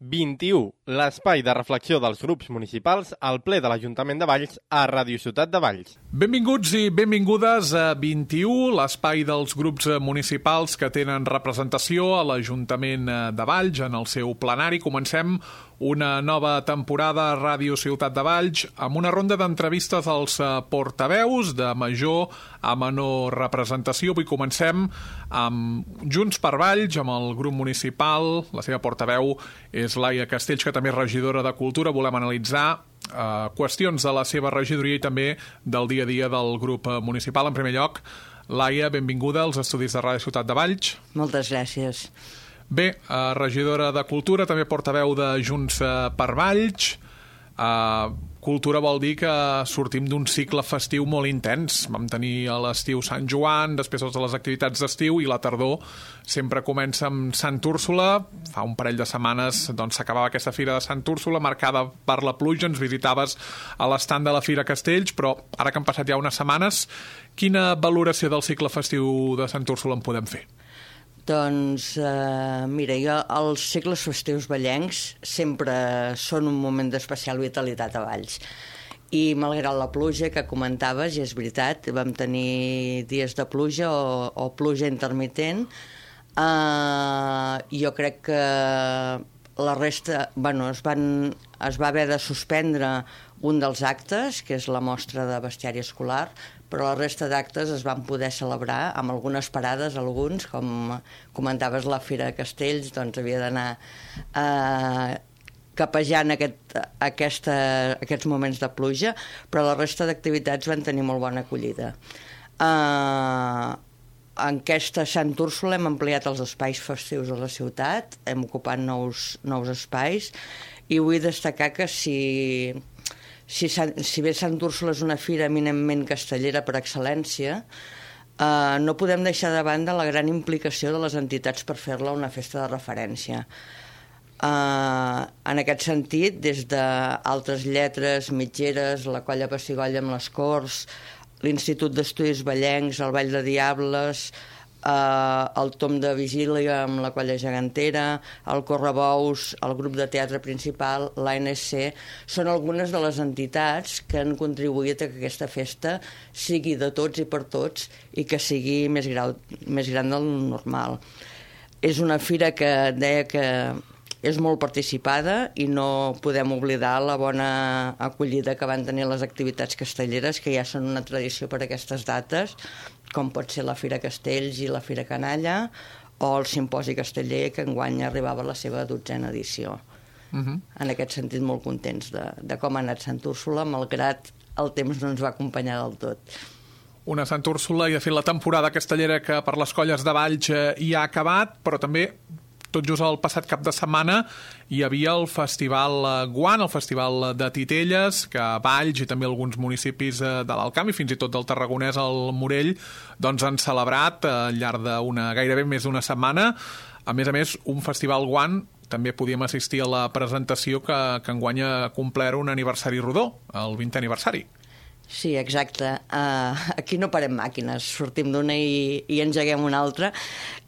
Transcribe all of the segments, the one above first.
21, l'espai de reflexió dels grups municipals al ple de l'Ajuntament de Valls a Ràdio Ciutat de Valls. Benvinguts i benvingudes a 21, l'espai dels grups municipals que tenen representació a l'Ajuntament de Valls en el seu plenari. Comencem una nova temporada a Ràdio Ciutat de Valls amb una ronda d'entrevistes als portaveus de major a menor representació. Avui comencem amb Junts per Valls, amb el grup municipal. La seva portaveu és Laia Castells, que també és regidora de Cultura. Volem analitzar qüestions de la seva regidoria i també del dia a dia del grup municipal. En primer lloc, Laia, benvinguda als estudis de Ràdio Ciutat de Valls. Moltes gràcies. Bé, regidora de Cultura, també portaveu de Junts per Valls. Cultura vol dir que sortim d'un cicle festiu molt intens. Vam tenir a l'estiu Sant Joan, després totes les activitats d'estiu, i la tardor sempre comença amb Sant Úrsula. Fa un parell de setmanes s'acabava aquesta fira de Sant Úrsula, marcada per la pluja. Ens visitaves a l'estand de la Fira Castells, però ara que han passat ja unes setmanes, quina valoració del cicle festiu de Sant Úrsula en podem fer? Doncs, mira, els cicles festius vallencs sempre són un moment d'especial vitalitat a Valls. I malgrat la pluja que comentaves, i és veritat, vam tenir dies de pluja o pluja intermitent, jo crec que la resta, es va haver de suspendre un dels actes, que és la mostra de bestiari escolar, però la resta d'actes es van poder celebrar amb algunes parades, alguns, com comentaves la Fira de Castells, doncs havia d'anar capejant aquests moments de pluja, però la resta d'activitats van tenir molt bona acollida. En aquesta Sant Úrsula hem ampliat els espais festius de la ciutat, hem ocupat nous espais, i vull destacar que si bé Sant Úrsula és una fira eminentment castellera per excel·lència, no podem deixar de banda la gran implicació de les entitats per fer-la una festa de referència. En aquest sentit, des d'Altres Lletres, Mitgeres, la Colla Pessigolles amb les Corts, l'Institut d'Estudis Vallencs, el Ball de Diables, el Tom de Vigília amb la Colla Gegantera, el Correbous, el grup de teatre principal, l'ANSC, són algunes de les entitats que han contribuït a que aquesta festa sigui de tots i per tots i que sigui més gran del normal. És una fira que deia que és molt participada i no podem oblidar la bona acollida que van tenir les activitats castelleres, que ja són una tradició per aquestes dates, com pot ser la Fira Castells i la Fira Canalla, o el Simposi Casteller, que enguany arribava a la seva 12a edició. En aquest sentit, molt contents de com ha anat Sant Úrsula, malgrat el temps no ens va acompanyar del tot. Una Sant Úrsula, i de fet la temporada castellera que per les colles de Valls hi ha acabat, però també tot just el passat cap de setmana hi havia el Festival Guant, el Festival de Titelles, que a Valls i també alguns municipis de l'Alt Camp i fins i tot del Tarragonès, al Morell, doncs han celebrat al llarg gairebé més d'una setmana. A més, un Festival Guant també podíem assistir a la presentació que enguany ha complert un aniversari rodó, el 20è aniversari. Sí, exacte. Aquí no parem màquines, sortim d'una i engeguem una altra,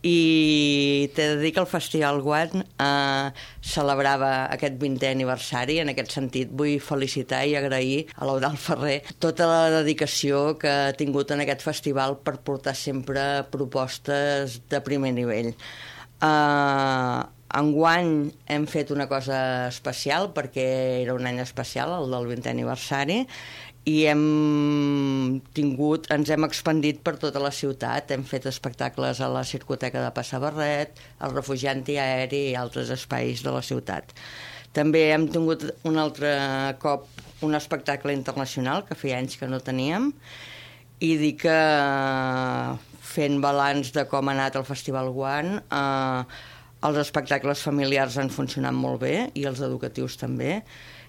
i t'he de dir que el Festival Guant celebrava aquest 20è aniversari. En aquest sentit vull felicitar i agrair a l'Eudald Ferrer tota la dedicació que ha tingut en aquest festival per portar sempre propostes de primer nivell. Enguany hem fet una cosa especial perquè era un any especial, el del 20è aniversari, i ens hem expandit per tota la ciutat. Hem fet espectacles a la Circoteca de Passabarret, al Refugi Antiaeri i altres espais de la ciutat. També hem tingut un altre cop un espectacle internacional que feia anys que no teníem, i dir que fent balanç de com ha anat el Festival Guant, els espectacles familiars han funcionat molt bé i els educatius també,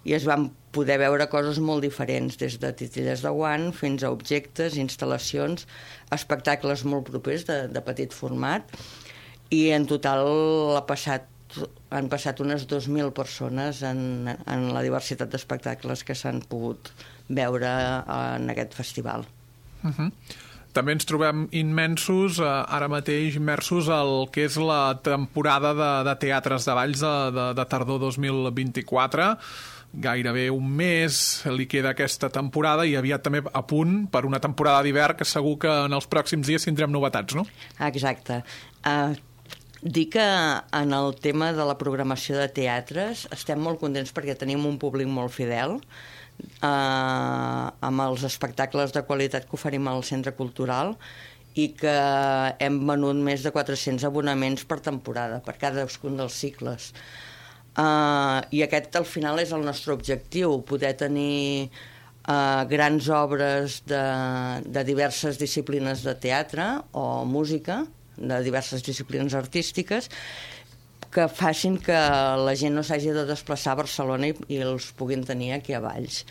i es van poder veure coses molt diferents, des de titelles de guant fins a objectes, instal·lacions, espectacles molt propers de petit format, i en total han passat unes 2.000 persones en la diversitat d'espectacles que s'han pogut veure en aquest festival. també ens trobem immensos, ara mateix immersos al que és la temporada de teatres de Valls de tardor 2024. Gairebé un mes li queda aquesta temporada i aviat també a punt per una temporada d'hivern que segur que en els pròxims dies tindrem novetats, no? Exacte. Dir que en el tema de la programació de teatres estem molt contents perquè tenim un públic molt fidel, amb els espectacles de qualitat que oferim al Centre Cultural i que hem venut més de 400 abonaments per temporada, per cadascun dels cicles. I aquest al final és el nostre objectiu, poder tenir grans obres de diverses disciplines de teatre o música, de diverses disciplines artístiques, que facin que la gent no s'hagi de desplaçar a Barcelona i els puguin tenir aquí a Valls.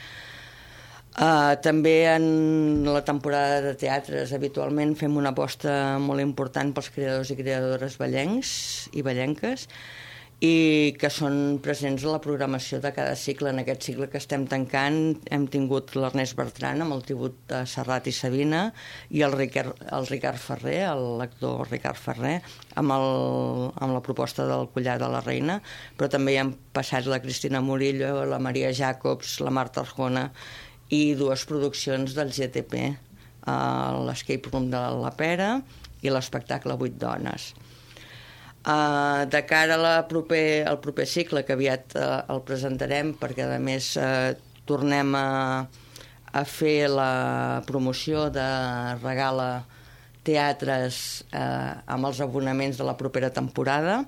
També en la temporada de teatres habitualment fem una aposta molt important pels creadors i creadores vallencs i vallenques i que són presents a la programació de cada cicle. En aquest cicle que estem tancant hem tingut l'Ernest Bertran amb el tribut de Serrat i Sabina i el Ricard Ferrer, l'actor Ricard Ferrer, amb la proposta del Collar de la Reina, però també hi han passat la Cristina Murillo, la Maria Jacobs, la Marta Arjona i dues produccions del GTP, l'Escape Room de la Pera i l'espectacle 8 dones. De cara al proper cicle, que aviat el presentarem, perquè a més tornem a fer la promoció de Regala Teatres amb els abonaments de la propera temporada.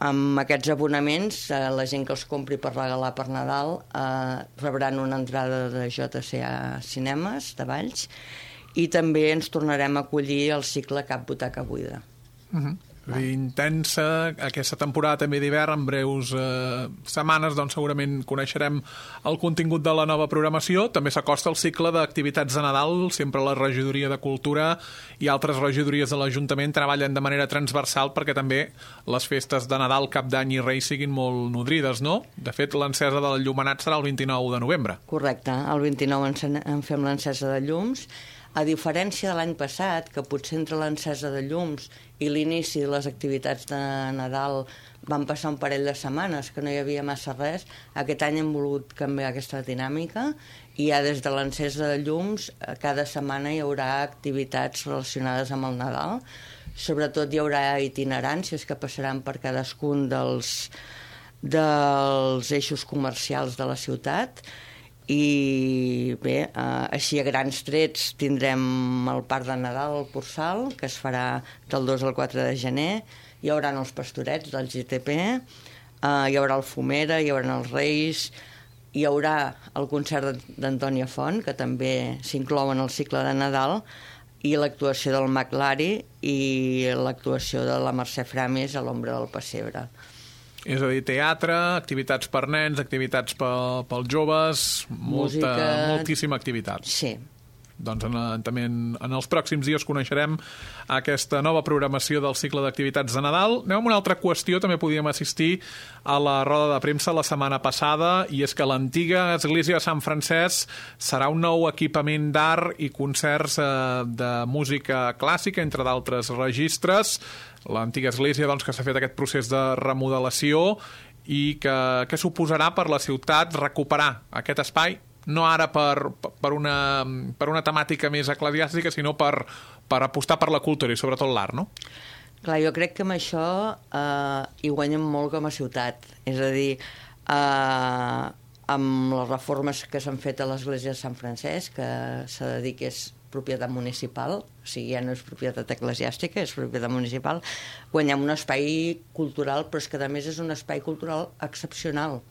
Amb aquests abonaments, la gent que els compri per regalar per Nadal rebran una entrada de JCA Cinemes de Valls i també ens tornarem a acollir el cicle Cap Butaca Buida. Intensa aquesta temporada també d'hivern. En breus setmanes doncs segurament coneixerem el contingut de la nova programació. També s'acosta el cicle d'activitats de Nadal. Sempre la regidoria de Cultura i altres regidories de l'Ajuntament treballen de manera transversal perquè també les festes de Nadal, Cap d'Any i Reis siguin molt nodrides, no? De fet, l'encesa del llumenat serà el 29 de novembre. Correcte, el 29 en fem l'encesa de llums. A diferència de l'any passat, que potser entre l'encesa de llums i l'inici de les activitats de Nadal van passar un parell de setmanes, que no hi havia massa res, aquest any hem volgut canviar aquesta dinàmica i ja des de l'encesa de llums cada setmana hi haurà activitats relacionades amb el Nadal. Sobretot hi haurà itineràncies que passaran per cadascun dels eixos comercials de la ciutat. I bé, així a grans trets tindrem el Parc de Nadal al Porçal, que es farà del 2 al 4 de gener, hi haurà els pastorets del GTP, hi haurà el Fumera, hi haurà els Reis, hi haurà el concert d'Antònia Font, que també s'inclou en el cicle de Nadal, i l'actuació del Mag Lari i l'actuació de la Mercè Framis a l'Ombra del Pessebre. És a dir, teatre, activitats per nens, activitats pels joves, moltíssima activitat. Sí. Doncs també en els pròxims dies coneixerem aquesta nova programació del cicle d'activitats de Nadal. Anem amb una altra qüestió. També podíem assistir a la roda de premsa la setmana passada, i és que l'antiga església de Sant Francesc serà un nou equipament d'art i concerts de música clàssica, entre d'altres registres. L'antiga església, doncs, que s'ha fet aquest procés de remodelació i que suposarà per la ciutat recuperar aquest espai, no ara per una temàtica més eclesiàstica, sinó per apostar per la cultura i sobretot l'art, no? Clar, jo crec que amb això hi guanyem molt com a ciutat. És a dir, amb les reformes que s'han fet a l'església de Sant Francesc, que s'ha de dir que és propietat municipal, o sigui, ja no és propietat eclesiàstica, és propietat municipal, guanyem un espai cultural, però és que a més és un espai cultural excepcional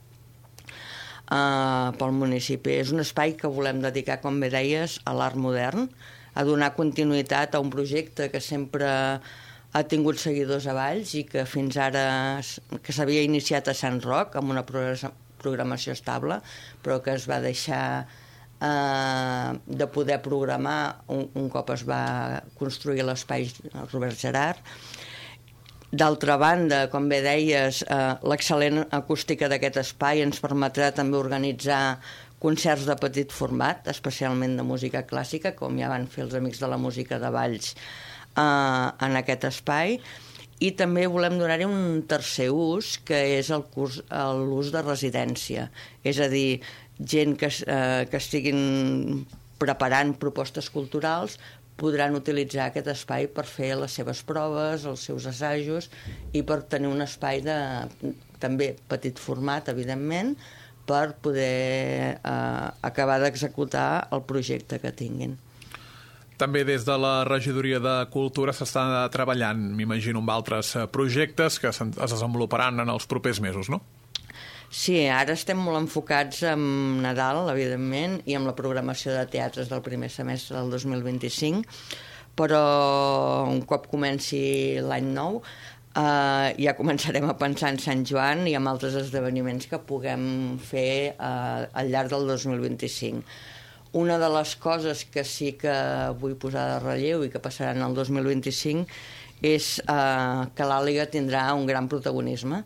pel municipi. És un espai que volem dedicar, com bé deies, a l'art modern, a donar continuïtat a un projecte que sempre ha tingut seguidors a Valls i que fins ara que s'havia iniciat a Sant Roc amb una programació estable, però que es va deixar de poder programar un cop es va construir l'espai Robert Gerard. D'altra banda, com bé deies, l'excel·lent acústica d'aquest espai ens permetrà també organitzar concerts de petit format, especialment de música clàssica, com ja van fer els Amics de la Música de Valls en aquest espai, i també volem donar-hi un tercer ús, que és l'ús de residència, és a dir, gent que estiguin preparant propostes culturals podran utilitzar aquest espai per fer les seves proves, els seus assajos, i per tenir un espai de també petit format, evidentment, per poder acabar d'executar el projecte que tinguin. També des de la Regidoria de Cultura s'està treballant, m'imagino, amb altres projectes que es desenvoluparan en els propers mesos, no? Sí, ara estem molt enfocats en Nadal, evidentment, i amb la programació de teatres del primer semestre del 2025, però un cop comenci l'any nou ja començarem a pensar en Sant Joan i en altres esdeveniments que puguem fer al llarg del 2025. Una de les coses que sí que vull posar de relleu i que passaran el 2025 és que l'Àliga tindrà un gran protagonisme,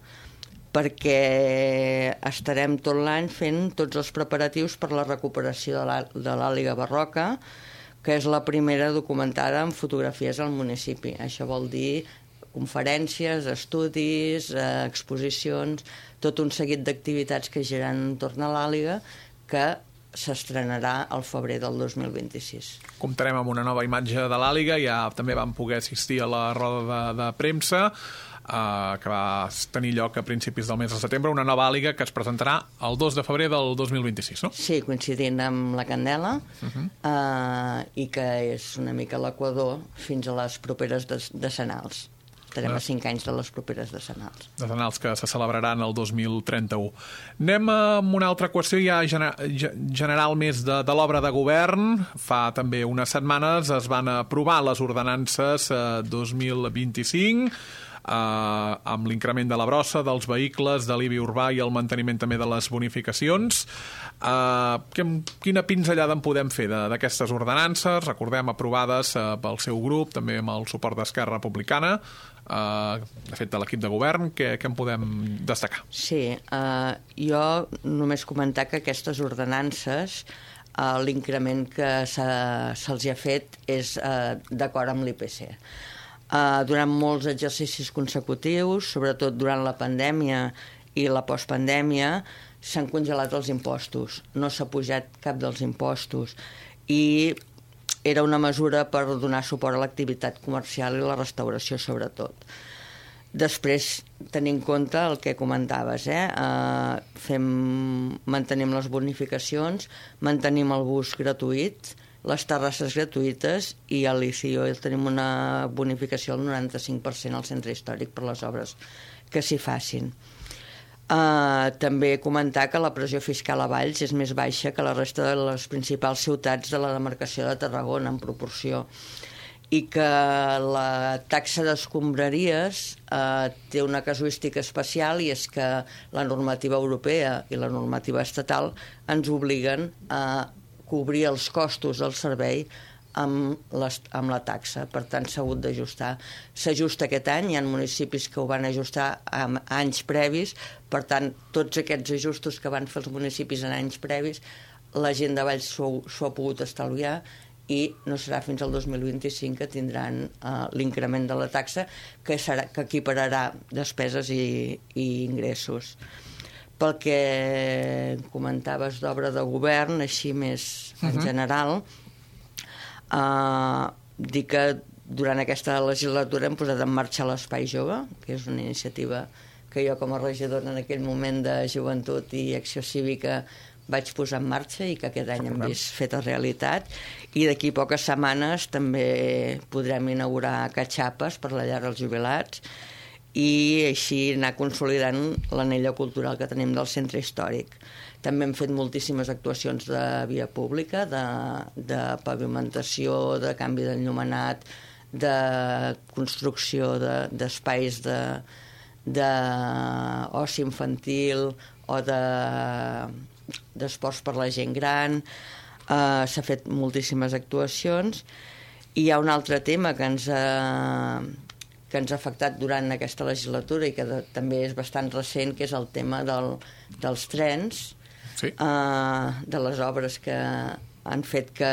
perquè estarem tot l'any fent tots els preparatius per la recuperació de l'Àliga Barroca, que és la primera documentada en fotografies al municipi. Això vol dir conferències, estudis, exposicions, tot un seguit d'activitats que giren entorn a l'Àliga, que s'estrenarà al febrer del 2026. Comptarem amb una nova imatge de l'Àliga, ja també vam poder assistir a la roda de premsa, que va tenir lloc a principis del mes de setembre, una nova Àliga que es presentarà el 2 de febrer del 2026, no? Sí, coincidint amb la Candela, i que és una mica l'equador fins a les properes decenals. Estarem a 5 anys de les properes decenals. Decenals que se celebraran el 2031. Anem amb una altra qüestió ja general més de l'obra de govern. Fa també unes setmanes es van aprovar les ordenances 2025, amb l'increment de la brossa, dels vehicles, de l'IBI urbà i el manteniment també de les bonificacions. Quina pinzellada en podem fer d'aquestes ordenances? Recordem, aprovades pel seu grup, també amb el suport d'Esquerra Republicana, de fet de l'equip de govern. Què en podem destacar? Sí, jo només comentar que aquestes ordenances, l'increment que se'ls ha fet és d'acord amb l'IPC. Durant molts exercicis consecutius, sobretot durant la pandèmia i la postpandèmia, s'han congelat els impostos. No s'ha pujat cap dels impostos i era una mesura per donar suport a l'activitat comercial i la restauració, sobretot. Després, tenir en compte el que comentaves, mantenim les bonificacions, mantenim el bus gratuït, les terrasses gratuïtes, i a l'ICIO tenim una bonificació del 95% al centre històric per les obres que s'hi facin. També comentar que la pressió fiscal a Valls és més baixa que la resta de les principals ciutats de la demarcació de Tarragona, en proporció, i que la taxa d'escombraries té una casuística especial, i és que la normativa europea i la normativa estatal ens obliguen a cobrir els costos del servei amb la taxa. Per tant, s'ha hagut d'ajustar. S'ajusta aquest any, hi ha municipis que ho van ajustar en anys previs, per tant, tots aquests ajustos que van fer els municipis en anys previs, la gent de Valls s'ho ha pogut estalviar, i no serà fins al 2025 que tindran l'increment de la taxa, que equipararà despeses i ingressos. Pel que comentaves d'obra de govern, així més en general, dir que durant aquesta legislatura hem posat en marxa l'Espai Jove, que és una iniciativa que jo com a regidora en aquell moment de joventut i acció cívica vaig posar en marxa i que aquest any hem vist feta realitat, i d'aquí poques setmanes també podrem inaugurar catxapes per la llar dels jubilats i així anar consolidant l'anella cultural que tenim del centre històric. També hem fet moltíssimes actuacions de via pública, de pavimentació, de canvi d'enllumenat, de construcció d'espais d'oci infantil o d'esports per la gent gran. S'ha fet moltíssimes actuacions, i hi ha un altre tema que ens ha afectat durant aquesta legislatura i que també és bastant recent, que és el tema dels trens. de les obres que han fet que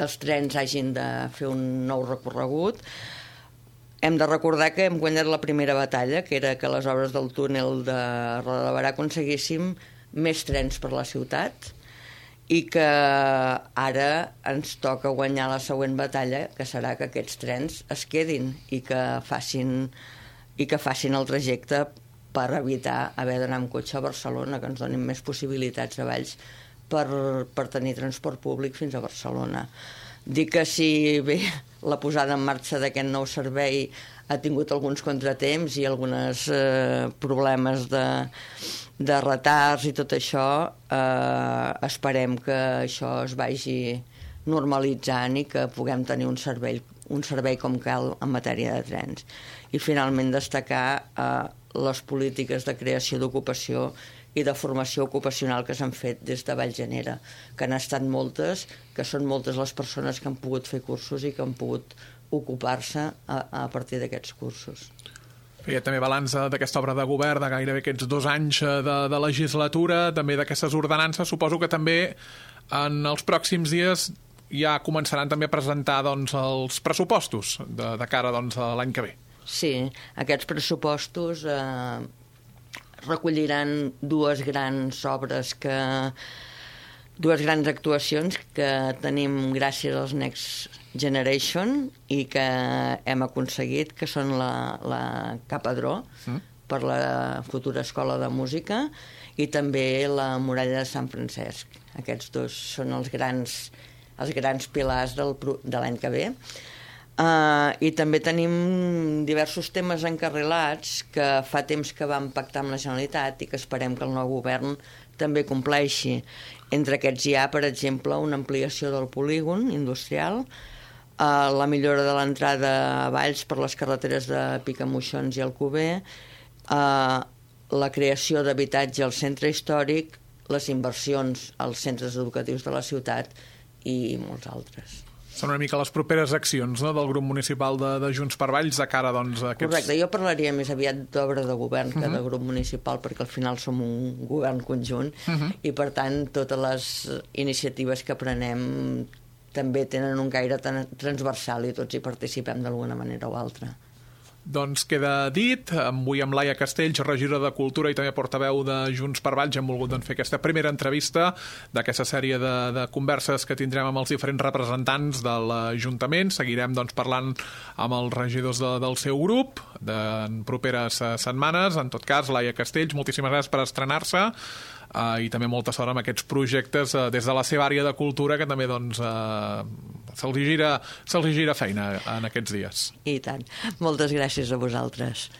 els trens hagin de fer un nou recorregut. Hem de recordar que hem guanyat la primera batalla, que era que les obres del túnel de Roda de Berà aconseguíssim més trens per la ciutat, i que ara ens toca guanyar la següent batalla, que serà que aquests trens es quedin i que facin el trajecte per evitar haver d'anar amb cotxe a Barcelona, que ens donin més possibilitats a Valls per tenir transport públic fins a Barcelona. Dic que si bé la posada en marxa d'aquest nou servei ha tingut alguns contratemps i alguns problemes de retards i tot això, esperem que això es vagi normalitzant i que puguem tenir un servei com cal en matèria de trens. I finalment destacar les polítiques de creació d'ocupació i de formació ocupacional que s'han fet des de Vallgenera, que han estat moltes, que són moltes les persones que han pogut fer cursos i que han pogut ocupar-se a partir d'aquests cursos. Feia també balanç d'aquesta obra de govern, de gairebé aquests 2 anys de legislatura, també d'aquestes ordenances. Suposo que també en els pròxims dies ja començaran també a presentar els pressupostos de cara a l'any que ve. Sí, aquests pressupostos recolliran dues grans actuacions que tenim gràcies als Next Generation i que hem aconseguit, que són la Capadró per la futura escola de música i també la Muralla de Sant Francesc. Aquests dos són els grans pilars de l'any que ve. I també tenim diversos temes encarrilats que fa temps que vam pactar amb la Generalitat i que esperem que el nou govern també compleixi. Entre aquests hi ha, per exemple, una ampliació del polígon industrial, la millora de l'entrada a Valls per les carreteres de Picamoixons i Alcover, la creació d'habitatge al centre històric, les inversions als centres educatius de la ciutat i molts altres. Són una mica les properes accions del grup municipal de Junts per Valls de cara a aquests... Correcte, jo parlaria més aviat d'obra de govern que de grup municipal, perquè al final som un govern conjunt i per tant totes les iniciatives que prenem també tenen un caire transversal i tots hi participem d'alguna manera o altra. Doncs queda dit, avui amb Laia Castells, regidora de Cultura i també portaveu de Junts per Valls, hem volgut fer aquesta primera entrevista d'aquesta sèrie de converses que tindrem amb els diferents representants de l'Ajuntament. Seguirem parlant amb els regidors del seu grup en properes setmanes. En tot cas, Laia Castells, moltíssimes gràcies per estrenar-se i també molta sort amb aquests projectes des de la seva àrea de cultura, que també se'ls gira feina en aquests dies. I tant. Moltes gràcies a vosaltres.